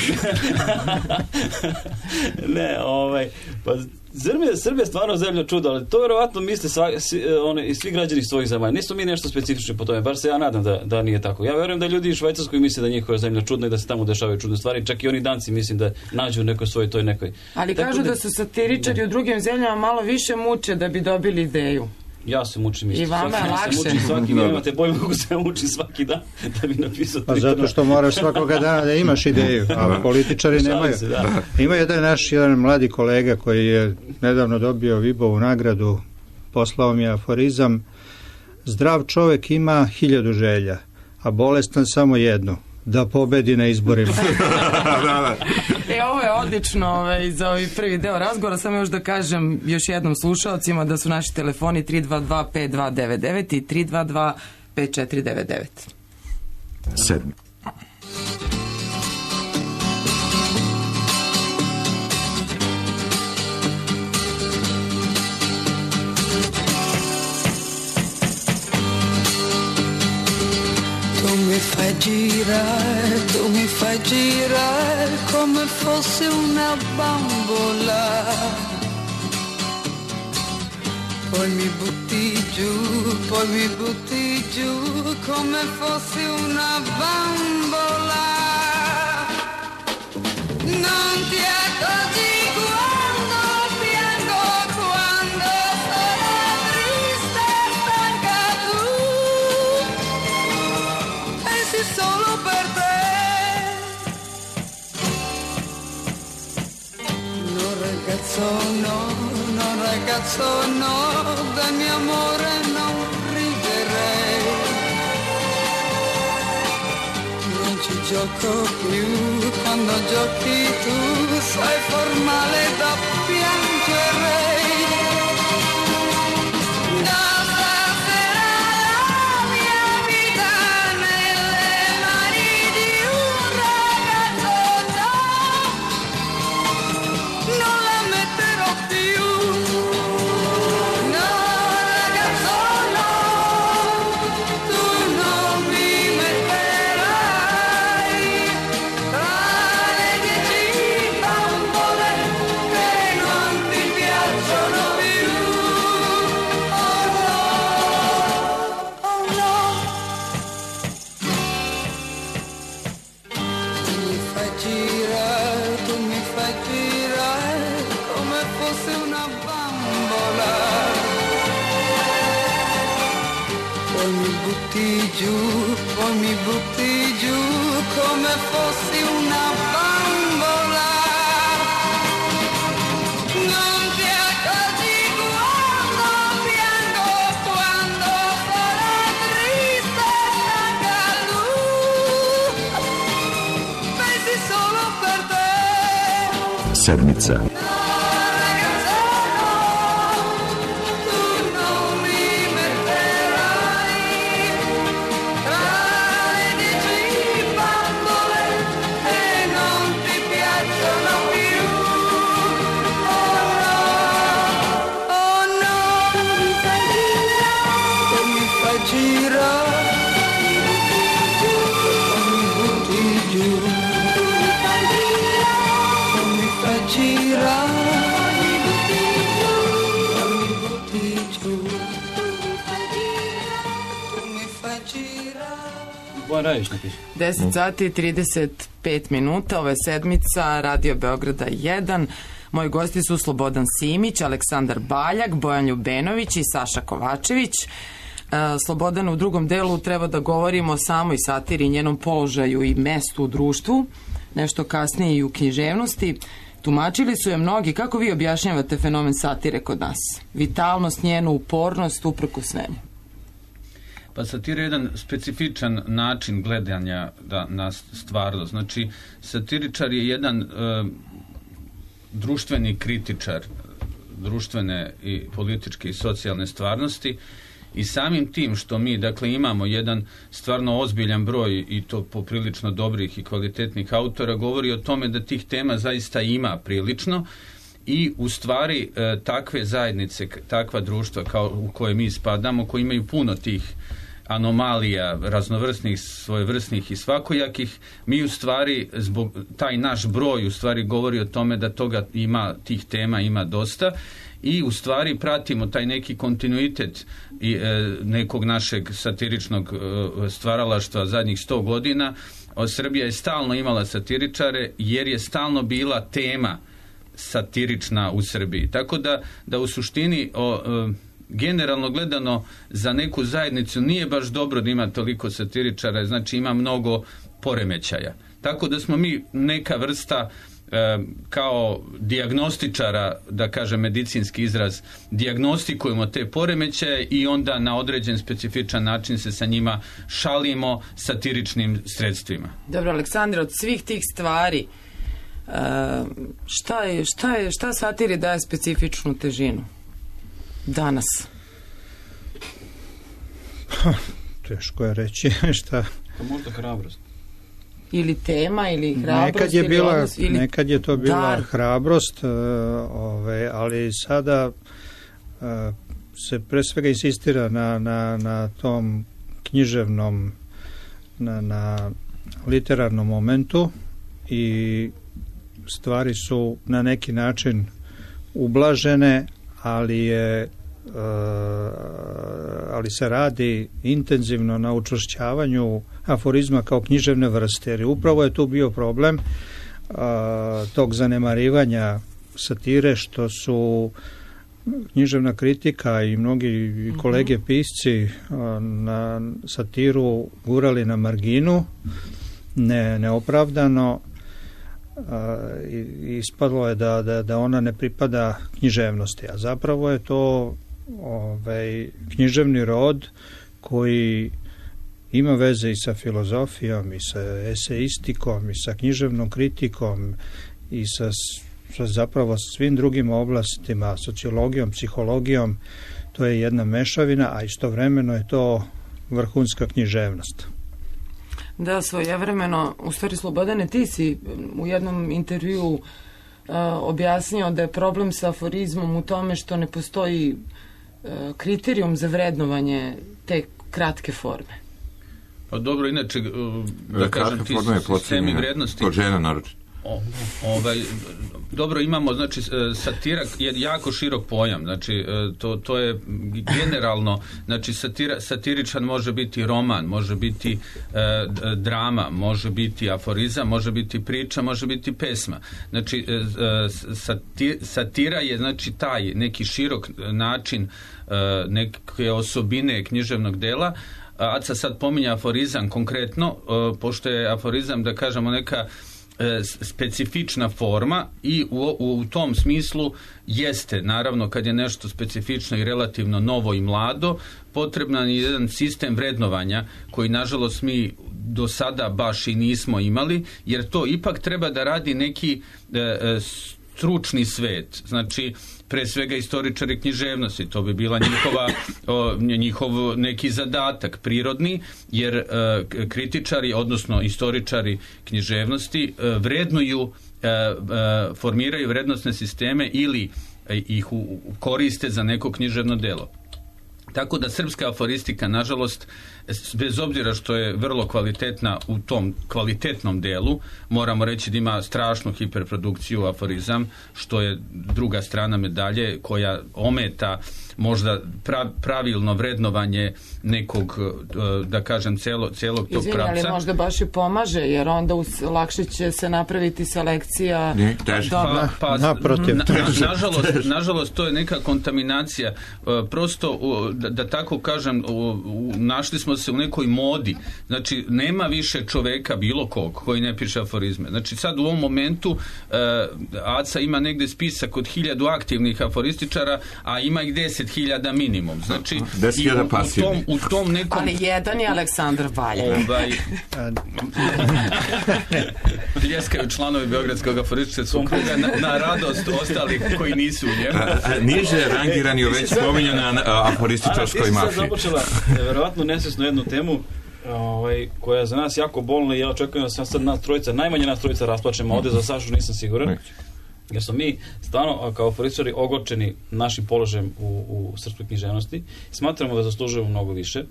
Speaker 7: Ne, ovaj, pa Srbija, Srbija je stvarno zemlja čuda, ali to verovatno misle sva, svi, one, i svi građani svojih zemalja. Nisu mi nešto specifično po tome, bar se ja nadam da, da nije tako. Ja verujem da ljudi u Švajcarskoj misle da njihova zemlja čudna i da se tamo dešavaju čudne stvari, čak i oni Danci mislim da nađu nekoj svoj toj nekoj.
Speaker 2: Ali tako kažu da, da su satiričari da. u drugim zemljama malo više muče da bi dobili ideju.
Speaker 7: Ja se mučim isto.
Speaker 2: I vama je lakše.
Speaker 7: Se mučim svaki dan, imate pojma kako se mučim svaki dan da bi napisao.
Speaker 6: Pa zato što moraš svakoga dana da imaš ideju, a političari nemaju. Se, da. Ima jedan naš jedan mladi kolega koji je nedavno dobio Vibovu nagradu, poslao mi aforizam: zdrav čovek ima hiljadu želja, a bolestan samo jednu, da pobedi na izborima.
Speaker 2: E, ovo je odlično ovaj, za ovaj prvi deo razgovora. Samo još da kažem još jednom slušalcima da su naši telefoni tri dva dva pet dva devet devet i tri dva dva pet četiri devet devet.
Speaker 9: Sedmi.
Speaker 4: Con
Speaker 10: fai girare, tu mi fai girare come fosse una bambola. Poi mi butti giù, poi mi butti giù come fossi una bambola. Non ti accorgi quando piango, quando sono triste e stanca, tu pensi solo per te. No ragazzo no, no ragazzo no, del mio amore non riderei. Non ci gioco più, quando giochi tu sei formale da piangere. Da stasera la mia vita nelle mani di un ragazzo già, non la metterò più. No ragazzo no, tu non mi metterai tra le dieci bambole che non ti piacciono più. Oh no, oh no. Tu mi fai girare, tu mi fai girare come fosse una bambola. Poi mi butti giù, poi mi butti giù come fossi una bambola. Non ti accorgi quando piango, quando sono triste e stanca, lui pensi solo per te.
Speaker 1: Sedmica.
Speaker 2: deset sati i trideset pet minuta, ovo je sedmica Radio Beograda jedan. Moji gosti su Slobodan Simić, Aleksandar Baljak, Bojan Ljubenović i Saša Kovačević. Slobodan, u drugom delu treba da govorimo o samoj satiri, njenom položaju i mestu u društvu, nešto kasnije i u književnosti. Tumačili su je mnogi. Kako vi objašnjavate fenomen satire kod nas? Vitalnost, njenu upornost, uprkos svemu.
Speaker 8: Pa satira je jedan specifičan način gledanja da, na stvarnost. Znači, satiričar je jedan e, društveni kritičar društvene i političke i socijalne stvarnosti i samim tim što mi, dakle, imamo jedan stvarno ozbiljan broj i to poprilično dobrih i kvalitetnih autora, govori o tome da tih tema zaista ima prilično i u stvari e, takve zajednice, takva društva kao u koje mi spadamo, koji imaju puno tih anomalija, raznovrsnih, svojevrsnih i svakojakih, mi u stvari, zbog taj naš broj u stvari govori o tome da toga ima, tih tema ima dosta i u stvari pratimo taj neki kontinuitet i, e, nekog našeg satiričnog e, stvaralaštva zadnjih sto godina. O, Srbija je stalno imala satiričare jer je stalno bila tema satirična u Srbiji. Tako da, da u suštini o, e, generalno gledano za neku zajednicu nije baš dobro da ima toliko satiričara, znači ima mnogo poremećaja. Tako da smo mi neka vrsta e, kao dijagnostičara, da kažem medicinski izraz, dijagnostikujemo te poremećaje i onda na određen specifičan način se sa njima šalimo satiričnim sredstvima.
Speaker 2: Dobro, Aleksandar, od svih tih stvari e, šta je, šta je, šta satiri daje specifičnu težinu danas?
Speaker 6: Ha, teško je reći šta.
Speaker 7: Pa možda hrabrost.
Speaker 2: Ili tema, ili hrabrost.
Speaker 6: Nekad je,
Speaker 2: ili
Speaker 6: bila,
Speaker 2: odnos, ili
Speaker 6: nekad je to bila
Speaker 2: dar.
Speaker 6: hrabrost, uh, ove, ali sada uh, se pre svega insistira na, na, na tom književnom na, na literarnom momentu i stvari su na neki način ublažene, ali je ali se radi intenzivno na učvršćavanju aforizma kao književne vrste, jer upravo je tu bio problem tog zanemarivanja satire, što su književna kritika i mnogi kolege pisci na satiru gurali na marginu, ne, neopravdano, i ispadlo je da, da, da ona ne pripada književnosti, a zapravo je to ovaj, književni rod koji ima veze i sa filozofijom i sa eseistikom i sa književnom kritikom i sa, sa zapravo svim drugim oblastima, sociologijom, psihologijom. To je jedna mešavina, a istovremeno je to vrhunska književnost.
Speaker 2: Da, svojevremeno, u stvari Slobodane, ti si u jednom intervju uh, objasnio da je problem sa aforizmom u tome što ne postoji uh, kriterijum za vrednovanje te kratke forme.
Speaker 8: Pa dobro, inače, da, da kažem, ti sistemi vrednosti...
Speaker 9: Kod žena naročito.
Speaker 8: O, ovaj, dobro, imamo, znači, satira je jako širok pojam, znači, to, to je generalno, znači, satira, satiričan može biti roman, može biti e, drama, može biti aforizam, može biti priča, može biti pesma. Znači, e, sati, satira je, znači, taj neki širok način e, neke osobine književnog dela. Aca sad pominja aforizam konkretno, e, pošto je aforizam, da kažemo, neka specifična forma i u, u tom smislu jeste, naravno, kad je nešto specifično i relativno novo i mlado, potreban je jedan sistem vrednovanja koji, nažalost, mi do sada baš i nismo imali, jer to ipak treba da radi neki e, stručni svet, znači pre svega istoričari književnosti, to bi bila njihova, o, njihov neki zadatak prirodni, jer e, kritičari, odnosno istoričari književnosti e, vrednuju, e, e, formiraju vrednostne sisteme ili e, ih u, koriste za neko književno delo. Tako da srpska aforistika, nažalost, bez obzira što je vrlo kvalitetna u tom kvalitetnom delu, moramo reći da ima strašnu hiperprodukciju aforizam, što je druga strana medalje koja ometa možda pravilno vrednovanje nekog, da kažem, celo, celog tog
Speaker 2: Izvini,
Speaker 8: pravca.
Speaker 2: ali možda baš i pomaže, jer onda us, lakše će se napraviti selekcija.
Speaker 9: Ne, teže.
Speaker 8: Pa, pa,
Speaker 6: naprotiv.
Speaker 8: Na, na, nažalost, nažalost, to je neka kontaminacija. Prosto, da, da tako kažem, našli smo se u nekoj modi. Znači, nema više čoveka, bilo kog, koji ne piše aforizme. Znači, sad u ovom momentu Aca ima negde spisak od hiljadu aktivnih aforističara, a ima ih deset hiljada minimum. Znači, i u, u, tom, u tom nekom...
Speaker 2: Ali jedan je Aleksandar Valja.
Speaker 8: Ovaj... Ljeskaju članovi Beogradskog aforističarskog kruga na, na radost ostalih koji nisu u njemu.
Speaker 9: Niže rangirani u već spominjana aforističarskoj mafiji.
Speaker 7: Ana, ti si sad započela verovatno nesvesno jednu temu ovaj, koja je za nas jako bolna i ja očekujem da sam sad nas trojica, najmanje nas trojica rasplačemo, ovdje za Sašu nisam siguran. Jer smo mi stvarno kao aforističari ogorčeni našim položajem u, u srpskoj književnosti. Smatramo da zaslužujemo mnogo više.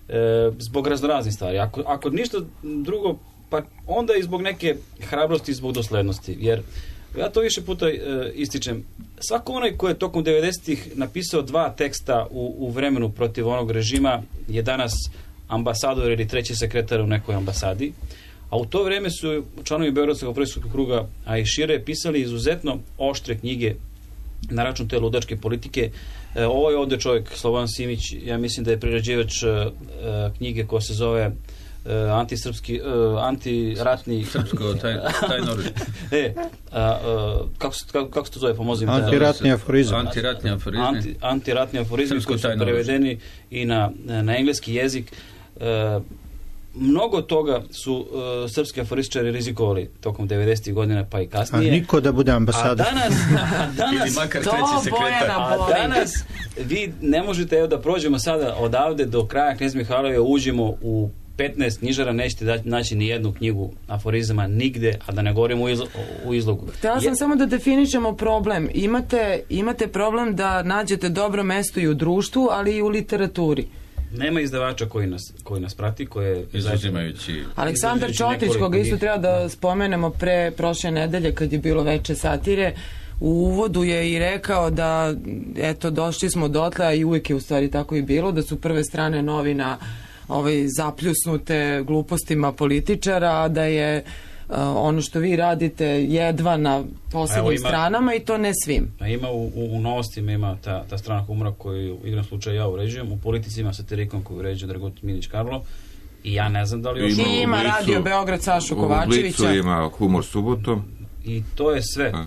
Speaker 7: E, zbog raznoraznih stvari. Ako, ako ništa drugo, pa onda i zbog neke hrabrosti i zbog doslednosti. Jer ja to više puta e, ističem. Svako onaj ko je tokom devedesetih napisao dva teksta u, u vremenu protiv onog režima je danas ambasador ili treći sekretar u nekoj ambasadi. A u to vrijeme su članovi Beogradskog aforističkog kruga, a i šire, pisali izuzetno oštre knjige na račun te ludačke politike. E, ovo je ovdje čovjek, Slobodan Simić, ja mislim da je priređivač e, knjige koja se zove e, antisrpski, e, antiratni...
Speaker 8: Srpsko, taj, taj noruč.
Speaker 7: e, a, a, kako, kako, kako se to zove, pomozim?
Speaker 6: Antiratni aforizam.
Speaker 8: Antiratni aforizam.
Speaker 7: Anti, antiratni aforizam koji su prevedeni i na, na engleski jezik. E, mnogo toga su uh, srpski aforističari rizikovali tokom devedesetih godina pa i kasnije.
Speaker 6: A niko da bude ambasador.
Speaker 7: A danas, a danas
Speaker 8: ili makar treći sekretar.
Speaker 7: A danas vi ne možete, evo da prođemo sada odavde do kraja Knez Mihajlove, uđemo u petnaest knjižara, nećete da, naći ni jednu knjigu aforizama nigde, a da ne govorimo u, izlo, u izlogu.
Speaker 2: Htela sam Je... samo da definišemo problem. Imate, imate problem da nađete dobro mesto i u društvu, ali i u literaturi.
Speaker 7: Nema izdavača koji nas, koji nas prati, koje
Speaker 8: izuzimajući...
Speaker 2: Aleksandar Čotić, koga isto treba da spomenemo pre prošle nedelje kad je bilo veče satire, u uvodu je i rekao da eto došli smo dotle, a i uvijek je u stvari tako i bilo, da su prve strane novina ovaj, zapljusnute glupostima političara, da je uh, ono što vi radite jedva na poslednjim ima, stranama i to ne svim.
Speaker 7: A ima u, u, u novostima ima ta, ta strana humora koju u igrom slučaju ja uređujem, u politici ima satirikom koju uređuje Dragutin Minić Karlo i ja ne znam da li još...
Speaker 2: Ima, ima Blicu, Radio Beograd Sašu Kovačevića.
Speaker 9: U Blicu ima Humor subotom.
Speaker 7: I to je sve. A.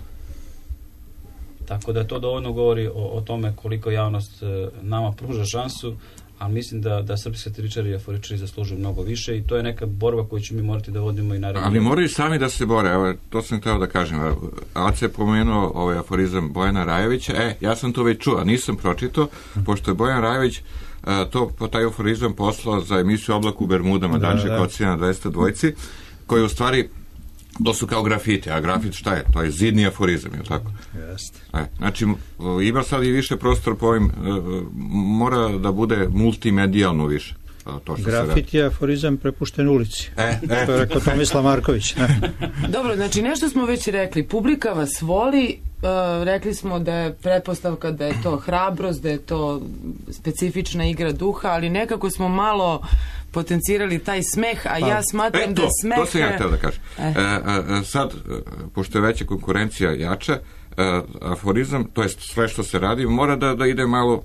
Speaker 7: Tako da to dovoljno govori o, o tome koliko javnost e, nama pruža šansu, ali mislim da, da srpski satiričari i aforičari zaslužuju mnogo više i to je neka borba koju ću mi morati da vodimo i naredno.
Speaker 9: Ali moraju sami da se bore, evo, to sam htio da kažem. Aca je pomenuo ovaj aforizam Bojana Rajovića, e, ja sam to već čuo, nisam pročitao, pošto je Bojan Rajović a, to, po taj aforizam poslao za emisiju Oblak u Bermudama, da, Danče Kocina dvesta dvojci, koji u stvari to su kao grafiti, a grafit šta je? To je zidni aforizam, je li tako?
Speaker 6: Jeste.
Speaker 9: E, znači, ima sad i više prostor po ovim, mora da bude multimedijalno više. To
Speaker 6: grafit je aforizam prepušten ulici.
Speaker 9: E, e.
Speaker 6: To je rekao Tomislav Marković. Ne?
Speaker 2: Dobro, znači nešto smo već rekli. Publika vas voli, uh, rekli smo da je pretpostavka da je to hrabrost, da je to specifična igra duha, ali nekako smo malo potencirali taj smeh, a pa, ja smatram
Speaker 9: e, to,
Speaker 2: da smeh...
Speaker 9: To sam ja htio da kažem. E. E, e, sad, pošto je veća konkurencija jača, e, aforizam, to je sve što se radi, mora da, da ide malo,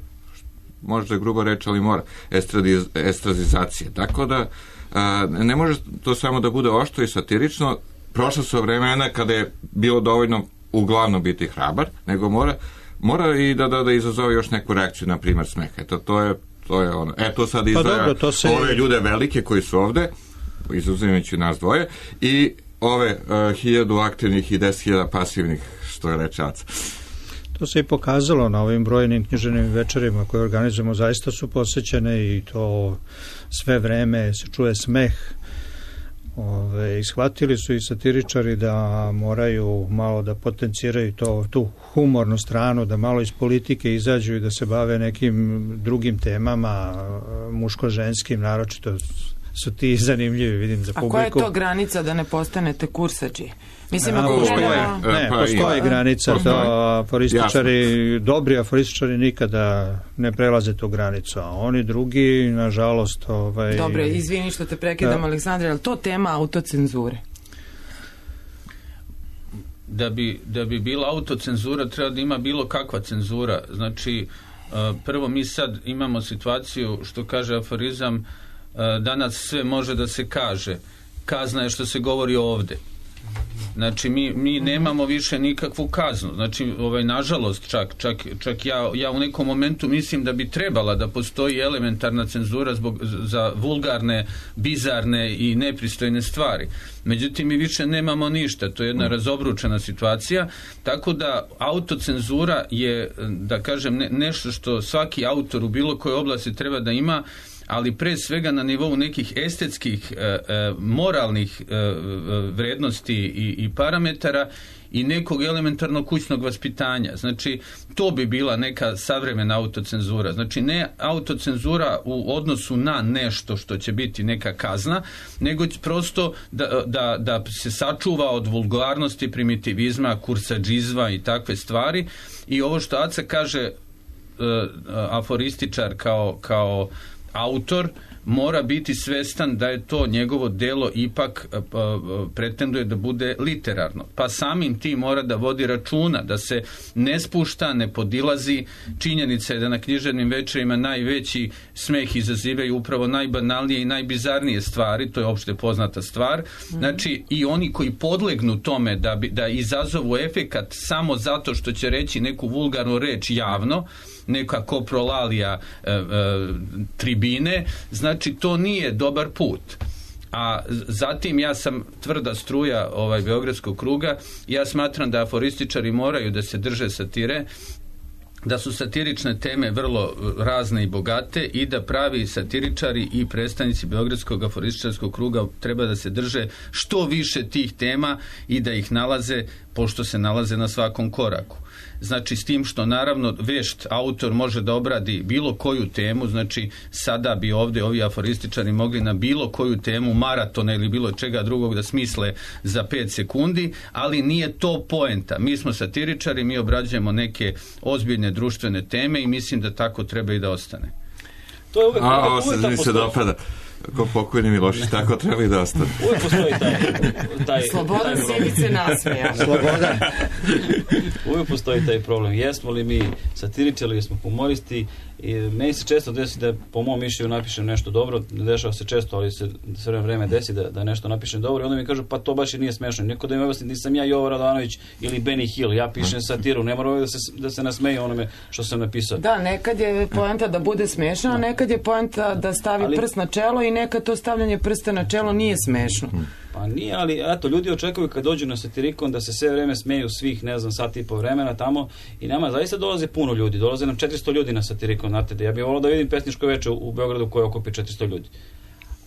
Speaker 9: možda je grubo reći, ali mora, estradiz, estrazizacije. Tako da, a, ne može to samo da bude oštro i satirično, prošla su vremena kada je bilo dovoljno uglavnom biti hrabar, nego mora, mora i da, da, da izazove još neku reakciju, na primjer smeh. Eto, to je, to je ono. E, to sad izdvaja pa dobro, se... ove ljude velike koji su ovde, izuzimajući nas dvoje, i ove uh, hiljadu aktivnih i deset hiljada pasivnih, što je rečaca.
Speaker 6: To se i pokazalo na ovim brojnim književnim večerima koje organizujemo, zaista su posećene i to sve vreme se čuje smeh. Ove, ishvatili su i satiričari da moraju malo da potenciraju to, tu humornu stranu, da malo iz politike izađu i da se bave nekim drugim temama, muško-ženskim, naročito su ti zanimljivi, vidim, za publiku.
Speaker 2: A koja je to granica da ne postanete kursađi? Mislim,
Speaker 6: ako postoje, ne, postoje granica, da aforističari, dobri aforističari nikada ne prelaze tu granicu, a oni drugi, nažalost... Ovaj,
Speaker 2: dobre, izvini što te prekidam, da. Aleksandre, ali to tema autocenzure?
Speaker 8: Da bi, da bi bila autocenzura, treba da ima bilo kakva cenzura. Znači, prvo mi sad imamo situaciju, što kaže aforizam, danas sve može da se kaže. Kazna je što se govori ovde. Znači mi, mi nemamo više nikakvu kaznu. Znači ovaj, nažalost čak, čak, čak ja, ja u nekom momentu mislim da bi trebala da postoji elementarna cenzura zbog, za vulgarne, bizarne i nepristojne stvari. Međutim mi više nemamo ništa. To je jedna razobručena situacija. Tako da autocenzura je, da kažem, ne, nešto što svaki autor u bilo kojoj oblasti treba da ima, ali pre svega na nivou nekih estetskih, e, e, moralnih e, vrednosti i, i parametara i nekog elementarnog kućnog vaspitanja. Znači, to bi bila neka savremena autocenzura. Znači, ne autocenzura u odnosu na nešto što će biti neka kazna, nego prosto da, da, da se sačuva od vulgarnosti, primitivizma, kursadžizma i takve stvari. I ovo što Aca kaže, e, aforističar kao, kao autor mora biti svestan da je to njegovo delo ipak uh, pretenduje da bude literarno. Pa samim tim mora da vodi računa, da se ne spušta, ne podilazi. Činjenica je da na književnim večerima najveći smeh izazivaju upravo najbanalnije i najbizarnije stvari, to je opšte poznata stvar. Znači, i oni koji podlegnu tome da, bi, da izazovu efekat samo zato što će reći neku vulgarnu reč javno, neka koprolalija e, e, tribine, znači to nije dobar put. A zatim ja sam tvrda struja ovaj Beogradskog kruga, ja smatram da aforističari moraju da se drže satire, da su satirične teme vrlo razne i bogate i da pravi satiričari i predstavnici Beogradskog aforističarskog kruga treba da se drže što više tih tema i da ih nalaze pošto se nalaze na svakom koraku. Znači, s tim što naravno vešt autor može da obradi bilo koju temu, znači sada bi ovdje ovi aforističari mogli na bilo koju temu maratona ili bilo čega drugog da smisle za pet sekundi, ali nije to poenta. Mi smo satiričari, mi obrađujemo neke ozbiljne društvene teme i mislim da tako treba i da ostane.
Speaker 7: To je uvijek,
Speaker 9: A, ovo se mi se dopada. Ko pokojni Milošić, tako treba i da ostane.
Speaker 7: Uvijek postoji taj... taj
Speaker 2: Slobodan Sivice nasmija.
Speaker 6: Slobodan.
Speaker 7: Uvijek postoji taj problem. Jesmo li mi satiričari, jesmo humoristi, i meni se često desi da po mom mišljenju napišem nešto dobro, ne dešava se često, ali se sve vreme desi da, da nešto napišem dobro i onda mi kažu pa to baš i nije smešno. Neko da mi objasni, nisam ja Jovo Radovanović ili Benny Hill, ja pišem satiru, ne mora da se, da se nasmeju onome što sam napisao.
Speaker 2: Da, nekad je poenta da bude smešno, a nekad je poenta da stavi ali, prst na čelo i nekad to stavljanje prsta na čelo nije smešno.
Speaker 7: Pa nije, ali eto, ljudi očekuju kad dođu na satirikon da se sve vreme smeju svih, ne znam, sat i po vremena tamo i nama zaista dolaze puno ljudi, dolaze nam četiristo ljudi na satirikon, znate, da ja bih volao da vidim pesničko veče u, u Beogradu koje okupi četiristo ljudi.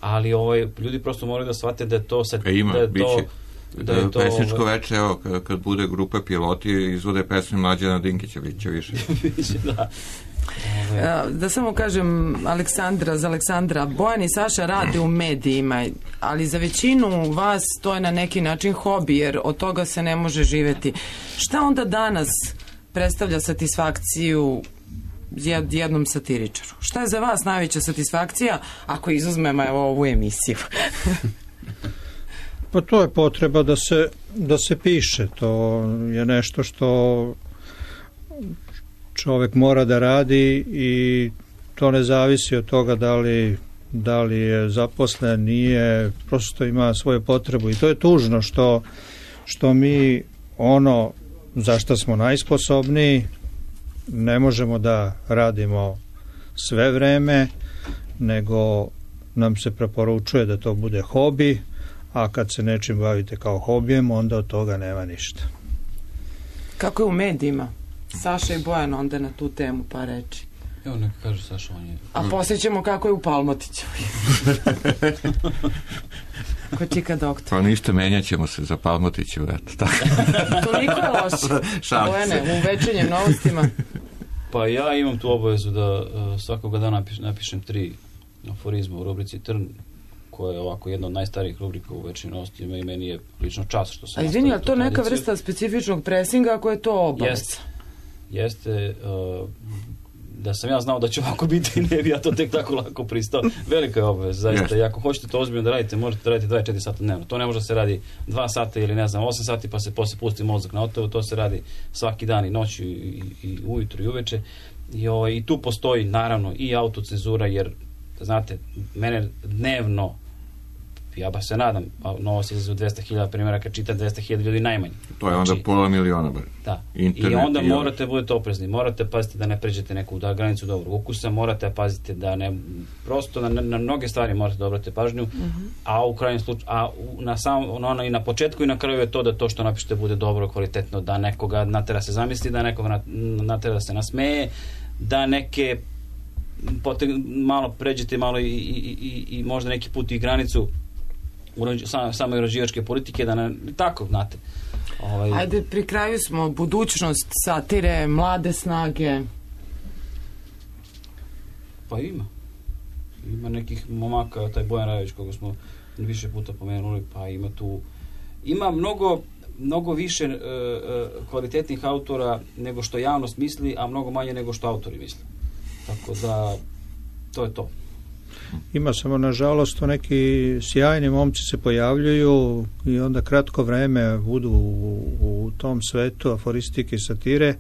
Speaker 7: Ali ovaj, ljudi prosto moraju da shvate da je to... Sat,
Speaker 9: e ima,
Speaker 7: da je
Speaker 9: biće.
Speaker 7: To, da je to,
Speaker 9: pesničko veče, evo, kad, kad bude grupa piloti, izvode pesme Mlađana Dinkića, biće više.
Speaker 7: Biće, da.
Speaker 2: Da samo kažem Aleksandra, za Aleksandra, Bojan i Saša rade u medijima, ali za većinu vas to je na neki način hobi, jer od toga se ne može živjeti. Šta onda danas predstavlja satisfakciju jednom satiričaru? Šta je za vas najveća satisfakcija ako izuzmemo evo ovu emisiju?
Speaker 6: Pa to je potreba da se, da se piše, to je nešto što čovjek mora da radi i to ne zavisi od toga da li, da li je zaposlen, nije, prosto ima svoju potrebu i to je tužno što, što mi ono za što smo najsposobniji ne možemo da radimo sve vreme, nego nam se preporučuje da to bude hobi, a kad se nečim bavite kao hobijem, onda od toga nema ništa.
Speaker 2: Kako je u medijima? Saša i Bojan onda na tu temu pa reči.
Speaker 7: Evo neka kaže Saša, on je...
Speaker 2: A poslije ćemo kako je u Palmotiću. Ko čika doktor.
Speaker 9: Pa ništa, menjat ćemo se za Palmotiću, eto.
Speaker 2: Toliko je loše. Bojane, u večernjim novostima.
Speaker 7: Pa ja imam tu obavezu da uh, svakoga dana napiš, napišem tri aforizma u rubrici Trn, koja je ovako jedna od najstarijih rubrika u večernjim novostima i meni je lično čast što sam...
Speaker 2: A izvini, ali to neka vrsta specifičnog presinga ako je to obaveza?
Speaker 7: Jeste. Jeste, uh, da sam ja znao da će ovako biti, ne bi ja to tek tako lako pristao. Velika je obaveza, zaista. Yes. I ako hoćete to ozbiljno da radite, možete da radite dvadeset četiri sata dnevno. To ne može da se radi dva sata ili ne znam, osam sati pa se posle pusti mozak na otovu. To se radi svaki dan i noću i, i, i ujutru i uveče. I, o, I tu postoji naravno i autocenzura, jer znate, mene dnevno, ja ba se nadam, Novost izlazi u dvesta hiljada primjeraka, čita dvesta hiljada ljudi najmanje.
Speaker 9: To je onda znači, pola miliona. Bar.
Speaker 7: Da. Internet, i onda i morate i budete oprezni, morate paziti da ne pređete neku da granicu dobrog ukusa, morate paziti da ne, prosto na, na mnoge stvari morate da obrate pažnju, mm-hmm. a u krajnjem slučaju, a u, na sam, ono, i na početku i na kraju je to da to što napišete bude dobro, kvalitetno, da nekoga natera se zamisli, da nekoga natera da se nasmeje, da neke potek, malo pređete malo i, i, i, i možda neki put i granicu Samo, samo rođivačke politike, da ne, tako, znate. Ovaj...
Speaker 2: Ajde, pri kraju smo, budućnost satire, mlade snage.
Speaker 7: Pa ima. Ima nekih momaka, taj Bojan Rajović, koga smo više puta pomenuli, pa ima tu, ima mnogo, mnogo više e, e, kvalitetnih autora nego što javnost misli, a mnogo manje nego što autori misle. Tako da, to je to.
Speaker 6: Ima samo, nažalost, neki sjajni momci se pojavljuju i onda kratko vreme budu u, u tom svetu aforistike i satire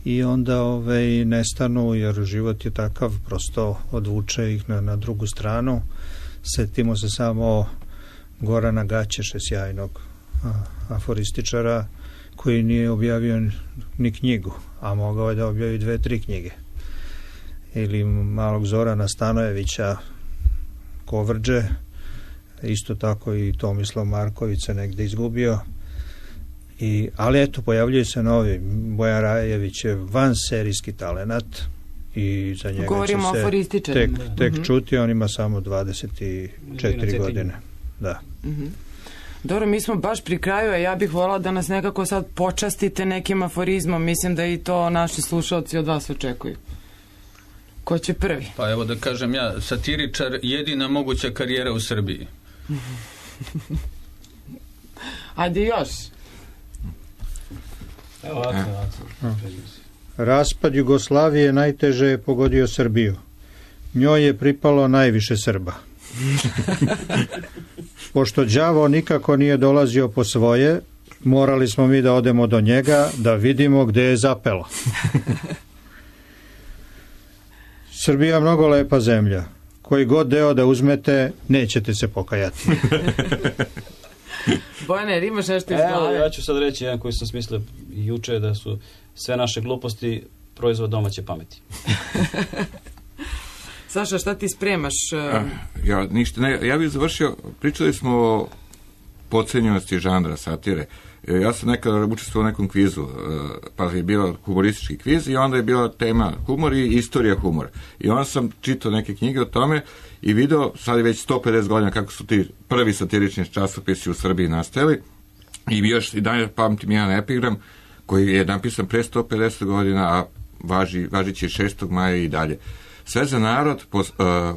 Speaker 6: i onda ovaj, nestanu, jer život je takav, prosto odvuče ih na, na drugu stranu. Setimo se samo Gorana Gaćeše, sjajnog a, aforističara, koji nije objavio ni knjigu, a mogao je da objavi dve, tri knjige. Ili malog Zorana Stanojevića, Kovrđe, isto tako i Tomislav Marković se negde izgubio. I, ali eto, pojavljuje se novi. Bojan Rajević je vanserijski talenat i za njega
Speaker 2: Govorimo
Speaker 6: će se tek, tek mm-hmm. čuti, on ima samo dvadeset četiri godine. Da.
Speaker 2: Mm-hmm. Dobro, mi smo baš pri kraju, a ja bih volala da nas nekako sad počastite nekim aforizmom. Mislim da i to naši slušalci od vas očekuju. Ko će prvi?
Speaker 8: Pa evo da kažem ja, satiričar, jedina moguća karijera u Srbiji.
Speaker 2: Ajde još.
Speaker 7: Evo, ovako, ovako.
Speaker 6: Raspad Jugoslavije najteže je pogodio Srbiju. Njoj je pripalo najviše Srba. Pošto đavo nikako nije dolazio po svoje, morali smo mi da odemo do njega, da vidimo gde je zapelo. Srbija mnogo lepa zemlja. Koji god deo da uzmete, nećete se pokajati.
Speaker 2: Bojane, jer imaš nešto iz
Speaker 7: Evo,
Speaker 2: glave?
Speaker 7: ja ću sad reći jedan koji sam smislio juče, da su sve naše gluposti proizvod domaće pameti.
Speaker 2: Saša, šta ti spremaš?
Speaker 9: A, ja, ništa, ne, ja bih završio, pričali smo o podcenjenosti žanra satire. Ja sam nekada učestvovao u nekom kvizu, pa je bio humoristički kviz i onda je bila tema humor i istorija humora. I onda sam čitao neke knjige o tome i video, sad je već sto pedeset godina kako su ti prvi satirični časopisi u Srbiji nastajali, i još i dalje pamtim jedan epigram koji je napisan pre sto pedeset godina, a važi, važići šestog maja i dalje. Sve za narod, pos, uh,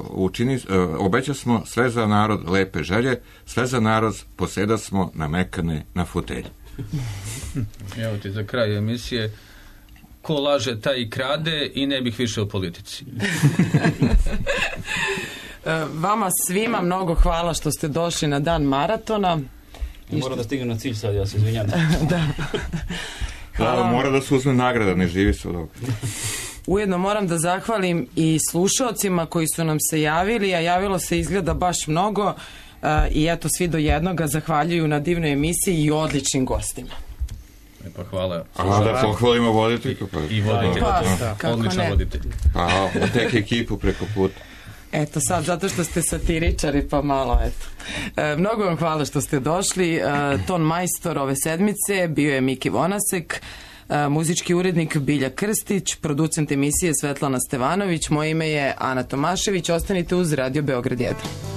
Speaker 9: učini, uh, obeća smo sve za narod lepe želje, sve za narod poseda smo namekane na fotelji.
Speaker 8: Evo ti za kraj emisije, ko laže taj i krade i ne bih više o politici.
Speaker 2: Vama svima mnogo hvala što ste došli na dan maratona.
Speaker 7: I moram da stignem na cilj sad, ja se izvinjam.
Speaker 2: Da.
Speaker 9: Hvala. Mora da se uzme nagrada, ne živi se od ovoga.
Speaker 2: Ujedno moram da zahvalim i slušalcima koji su nam se javili, a javilo se izgleda baš mnogo, uh, i eto svi do jednoga zahvaljuju na divnoj emisiji i odličnim gostima.
Speaker 8: E pa hvala.
Speaker 9: A da pohvalimo voditeljku. Pa.
Speaker 8: I voditelj.
Speaker 2: Pa,
Speaker 8: odličan voditelj.
Speaker 9: Pa, tek ekipu preko puta.
Speaker 2: Eto sad, zato što ste satiričari, pa malo, eto. E, mnogo vam hvala što ste došli. E, ton majstor ove sedmice bio je Miki Vonasek, e, muzički urednik Bilja Krstić, producent emisije Svetlana Stevanović, moje ime je Ana Tomašević, ostanite uz Radio Beograd jedan.